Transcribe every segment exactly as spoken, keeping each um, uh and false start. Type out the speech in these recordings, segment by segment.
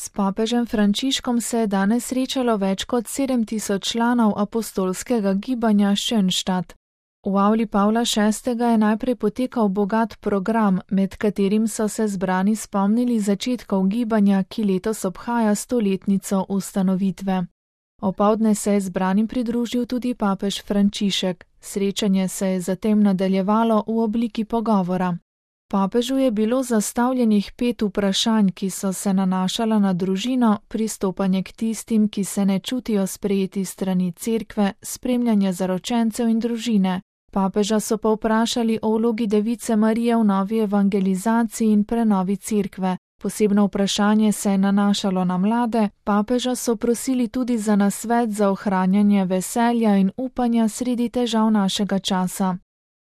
S papežem Frančiškom se je danes srečalo več kot sedem tisoč članov apostolskega gibanja Schönstatt. V avli Pavla šestega je najprej potekal bogat program, med katerim so se zbrani spomnili začetkov gibanja, ki letos obhaja stoletnico ustanovitve. Opoldne se je zbranim pridružil tudi papež Frančišek. Srečanje se je zatem nadaljevalo v obliki pogovora. Papežu je bilo zastavljenih pet vprašanj, ki so se nanašala na družino, pristopanje k tistim, ki se ne čutijo sprejeti strani cerkve, spremljanje zaročencev in družine. Papeža so pa vprašali o vlogi Device Marije v novi evangelizaciji in prenovi cerkve. Posebno vprašanje se je nanašalo na mlade, papeža so prosili tudi za nasvet za ohranjanje veselja in upanja sredi težav našega časa.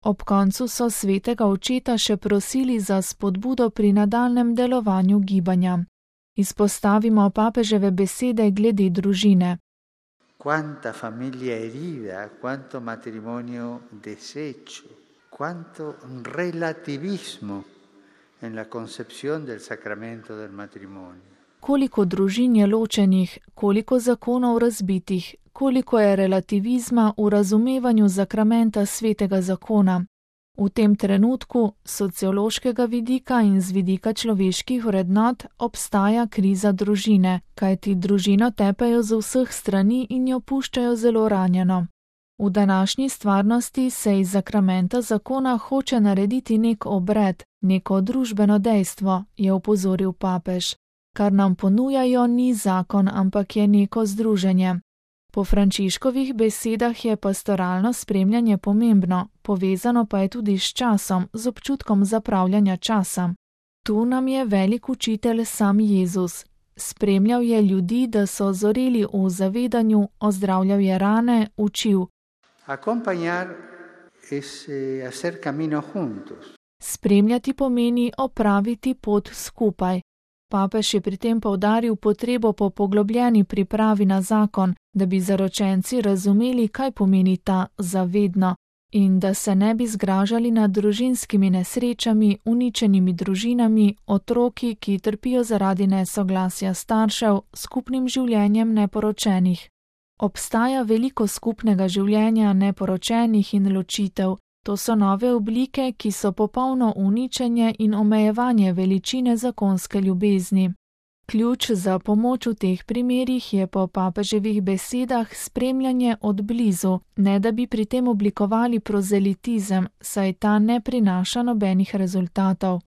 Ob koncu so svetega očeta še prosili za spodbudo pri nadaljnjem delovanju gibanja. Izpostavimo papeževe besede glede družine. Quanta famiglia herida, quanto matrimonio deshecho, quanto relativismo en la concepción del sacramento del matrimonio. Koliko družin je ločenih, koliko zakonov razbitih, koliko je relativizma v razumevanju sakramenta svetega zakona. V tem trenutku, sociološkega vidika in z vidika človeških vrednot, obstaja kriza družine, kajti družino tepejo z vseh strani in jo puščajo zelo ranjeno. V današnji stvarnosti se iz sakramenta zakona hoče narediti nek obred, neko družbeno dejstvo, je opozoril papež. Kar nam ponujajo, ni zakon, ampak je neko združenje. Po Frančiškovih besedah je pastoralno spremljanje pomembno, povezano pa je tudi s časom, z občutkom zapravljanja časa. Tu nam je velik učitelj sam Jezus. Spremljal je ljudi, da so zoreli v zavedanju, ozdravljal je rane, učil. Acompañar es hacer camino juntos. Spremljati pomeni opraviti pot skupaj. Papež je pri tem poudaril potrebo po poglobljeni pripravi na zakon, da bi zaročenci razumeli, kaj pomeni ta zavedno in da se ne bi zgražali nad družinskimi nesrečami, uničenimi družinami, otroki, ki trpijo zaradi nesoglasja staršev, skupnim življenjem neporočenih. Obstaja veliko skupnega življenja neporočenih in ločitev. To so nove oblike, ki so popolno uničenje in omejevanje veličine zakonske ljubezni. Ključ za pomoč v teh primerih je po papeževih besedah spremljanje od blizu, ne da bi pri tem oblikovali prozelitizem, saj ta ne prinaša nobenih rezultatov.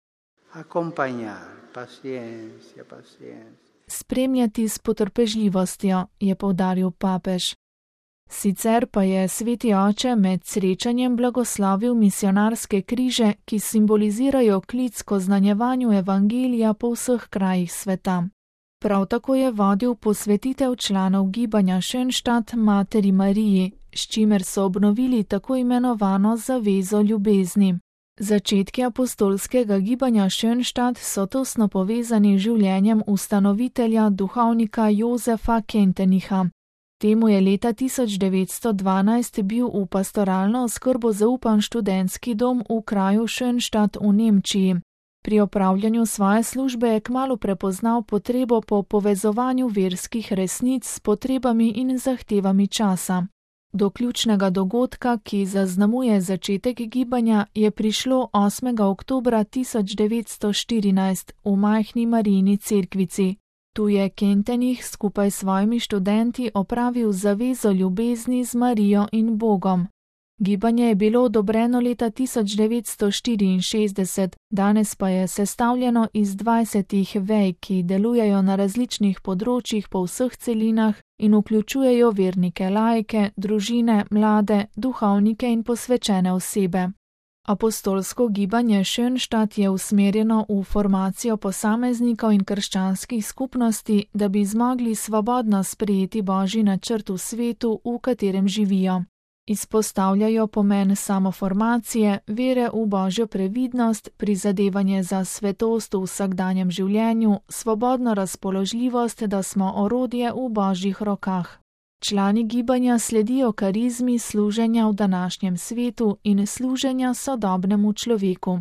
Spremljati s potrpežljivostjo, je poudaril papež. Sicer pa je sveti oče med srečanjem blagoslovil misionarske križe, ki simbolizirajo klic k oznanjevanju evangelija po vseh krajih sveta. Prav tako je vodil posvetitev članov gibanja Schönstatt Materi Mariji, s čimer so obnovili tako imenovano zavezo ljubezni. Začetki apostolskega gibanja Schönstatt so tesno povezani z življenjem ustanovitelja duhovnika Josefa Kentenicha. Temu je leta tisoč devetsto dvanajst bil v pastoralno oskrbo zaupan študentski dom v kraju Schönstatt v Nemčiji. Pri opravljanju svoje službe je kmalu prepoznal potrebo po povezovanju verskih resnic s potrebami in zahtevami časa. Do ključnega dogodka, ki zaznamuje začetek gibanja, je prišlo osmega oktobra tisoč devetsto štirinajst v majhni Marijini cerkvici. Tu je Kentenich skupaj s svojimi študenti opravil zavezo ljubezni z Marijo in Bogom. Gibanje je bilo odobreno leta tisoč devetsto štiriinšestdeset, danes pa je sestavljeno iz dvajsetih vej, ki delujejo na različnih področjih po vseh celinah in vključujejo vernike laike, družine, mlade, duhovnike in posvečene osebe. Apostolsko gibanje Schönstatt je usmerjeno v formacijo posameznikov in krščanskih skupnosti, da bi zmogli svobodno sprejeti Božji načrt v svetu, v katerem živijo. Izpostavljajo pomen samoformacije, vere v Božjo previdnost, prizadevanje za svetost v vsakdanjem življenju, svobodno razpoložljivost, da smo orodje v Božjih rokah. Člani gibanja sledijo karizmi služenja v današnjem svetu in služenja sodobnemu človeku.